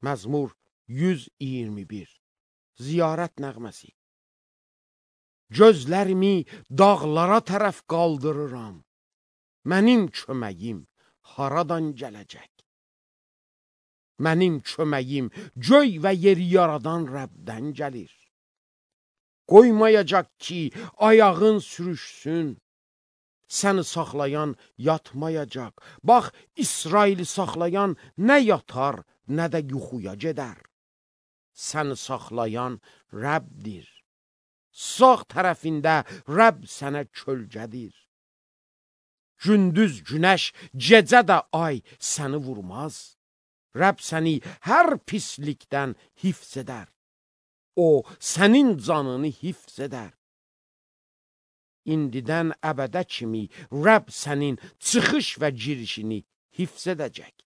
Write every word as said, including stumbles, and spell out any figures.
Məzmur yüz iyirmi bir. Ziyarət nəğməsi. Gözlərimi dağlara tərəf qaldırıram. Mənim köməyim haradan gələcək? Mənim köməyim göy və yeri yaradan Rəbdən gəlir. Qoymayacaq ki, ayağın sürüşsün. Səni saxlayan yatmayacaq. Bax, İsraili saxlayan nə yatar, nə də yuxuya gedər. Səni saxlayan Rəbdir. Sağ tərəfində Rəbb sənə kölgədir. Gündüz günəş, gecə də ay səni vurmaz. Rəbb səni hər pislikdən hifz edər. O, sənin canını hifz edər. İndidən əbədə kimi Rəbb sənin çıxış və girişini hifz edəcək.